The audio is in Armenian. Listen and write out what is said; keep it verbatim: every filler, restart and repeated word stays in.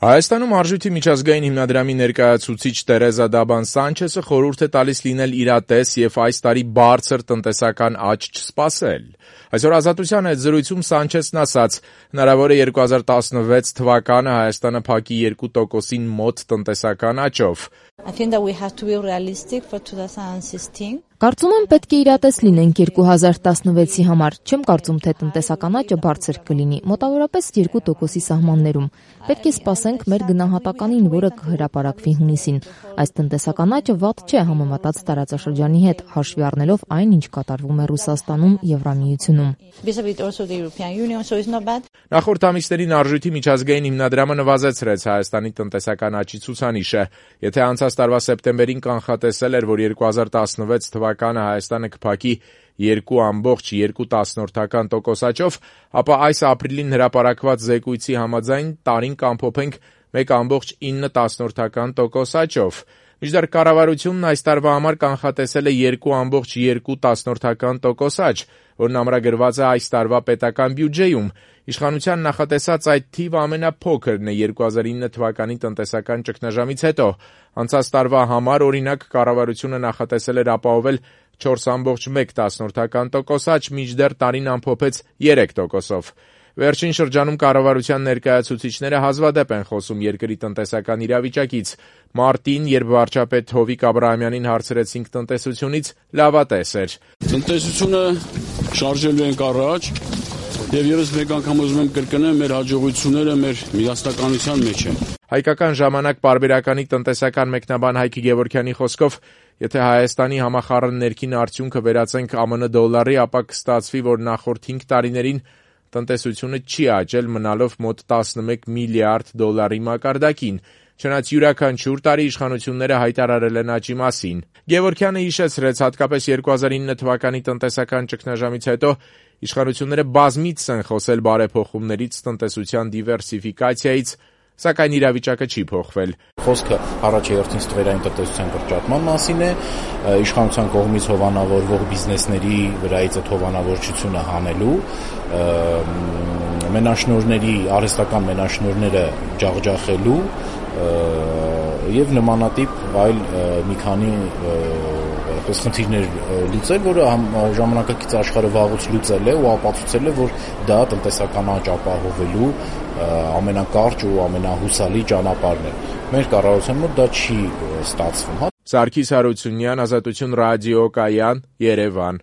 Հայաստանում Արժույթի միջազգային հիմնադրամի ներկայացուցիչ Տերեզա Դաբան Սանչեսը խորհուրդ է տալիս լինել իրատես և այս տարի բարձր տնտեսական աճ չսպասել։ Այսօր Ազատության հետ զրույցում Սանչեսն ասաց, հնարավոր է երկու հազար տասնվեց թվականը Հայաստանը փակի երկու տոկոսին մոտ տնտեսական աճով։ Կարծում եմ պետք է իրատես լինենք երկու հազար տասնվեցի համար, չեմ կարծում, թե տնտեսական աճը բարձր կլինի, մոտավորապես երկու տոկոսի սահմաններում։ Պետք է սպասենք մեր գնահատականին, որը կհրապարակվի հունիսին։ Այս տնտեսական աճը վատ չէ համեմատած տարածաշրջանի հետ, հաշվի առնելով այն, ինչ կատարվում է Ռուսաստանում, Եվրամիությունում։ Նախորդ ամիսներին Արժույթի միջազգային հիմնադրամը նվազեցրեց Հայաստանի տնտեսական աճի ցուցանիշը։ Եթե անցած տարվա սեպտեմբերին կանխատեսել էր, որ երկու հազար տասնվեց թվականը Հայաստանը կփակի երկու ամբողջ երկու տոկոս աճով, ապա այս ապրիլին հրապարակված զեկույցի համաձայն տարին կամփոփենք մեկ ամբողջ ինը տոկոս աճով։ Մինչդեռ կառավարությունն այս տարվա համար կանխատեսել է երկու ամբողջ երկու տոկոս աճ, որն ամրագրված է այս տարվա պետական բյուջեում։ Իշխանության նախատեսած այդ թիվը ամենափոքրն է երկու հազար ինը թվականի տնտեսական ճգնաժամից հետո։ Անցած տարվա համար, օրինակ, կառավարությունը նախատեսել էր ապահովել չորս ամբողջ մեկ տոկոս աճ, մինչդեռ տարին ամփոփեց երեք տոկոսով։ Վերջին շրջանում կառավարության ներկայացուցիչները հազվադեպ են խոսում երկրի տնտեսական իրավիճակից։ Մարտին, երբ վարչապետ Հովիկ Աբրահամյանին հարցրեցինք տնտեսությունից, լավատես էր։ Տնտեսությունը շարժելու ենք առաջ, եւ եւս մեկ անգամ ուզում եմ կրկնել, մեր հաջողությունները մեր միասնականության մեջ են։ Հայկական ժամանակ պարբերականի տնտեսական մեկնաբան Հայկ Գևորգյանի խոսքով, եթե Հայաստանի համախառն ներքին արդյունքը վերածենք ԱՄՆ դոլարի, ապա կստացվի, որ նախորդ հինգ տարիներին տնտեսությունը չի աճել, մնալով մոտ տասնմեկ միլիարդ դոլարի մակարդակին, չնայած յուրաքանչյուր տարի իշխանությունները հայտարարել են աճի մասին։ Գևորգյանը հիշեցրեց, հատկապես երկու հազար ինը թվականի տնտեսական ճգնաժամից հետո իշխանությունները բազմիցս են խոսել բարեփոխումներից, տնտեսության դիվերսիֆիկացիայից, սակայն իրավիճակը չի փոխվել։ Խոսքը առաջերտին ստվերային տնտեսության կրճատման մասին է, իշխանության կողմից հովանավորվող բիզնեսների վրայից այդ հովանավորչությունը հանելու, մենաշնորհների, արհեստական մենաշնորհները ջախջախելու եւ նմանատիպ այլ մի քանի այդպես խնդիրներ լուծել, որը ժամանակակից աշխարհը վաղուց լուծել է ու ապացուցել է, որ դա տնտեսական աճ ապահովելու ամենակարճ ու ամենահուսալի ճանապարհն է։ Մեր կառավարության մոտ դա չի ստացվում։ Սարգիս Հարությունյան, Ազատություն ռադիո կայան, Երևան։